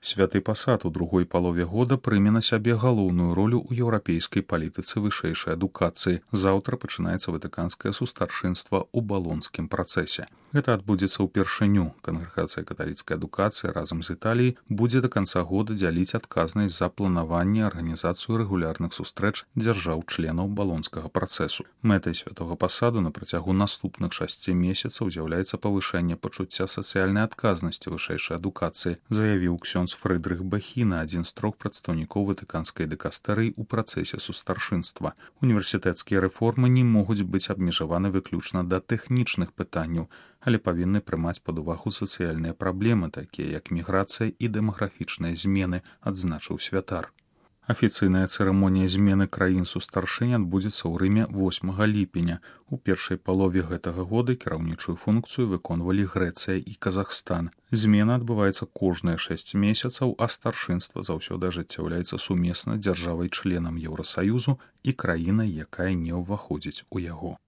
Святы пасад у другой палове года прыме на сябе галоўную ролю ў еўрапейскай палітыцы вышэйшай адукацыі. Заўтра пачынаецца ватыканскае сустаршынства ў балонскім працэсе. Гэта адбудзецца ўпершыню. Кангрэгацыя каталіцкай адукацыі разам з Італіяй будзе да канца года дзяліць адказнасць за планаванне арганізацыю рэгулярных сустрэч дзяржаў-членаў балонскага працэсу. Мэтай святога пасаду на працягу наступных 6 месяцаў з'яўляецца павышэнне пачуцця сацыяльнай адказнасці вышэйшай адукацыі, заявіў ксёндз Фрыдрых Бахіна, адзін з 3 прадстаўнікоў ватыканскай дыкастэрыі ў працэсе сустаршынства. Універсітэцкія рэформы не могуць быць абмежаваны выключна да тэхнічных пытанняў, але павінны прымаць пад увагу сацыяльныя праблемы, такія як міграцыя і дэмаграфічныя змены, адзначыў святар. Афіцыйная цырымонія змены краін сустаршынь адбудзецца ў Рыме 8 ліпеня. У першай палове гэтага года кіраўнічую функцыю выконвалі Грэцыя і Казахстан. Змена адбываецца кожныя 6 месяцаў, а старшынства заўсёды ажыццяўляецца сумесна дзяржавай-членам Еўрасаюзу і краінай, якая не ўваходзіць у яго.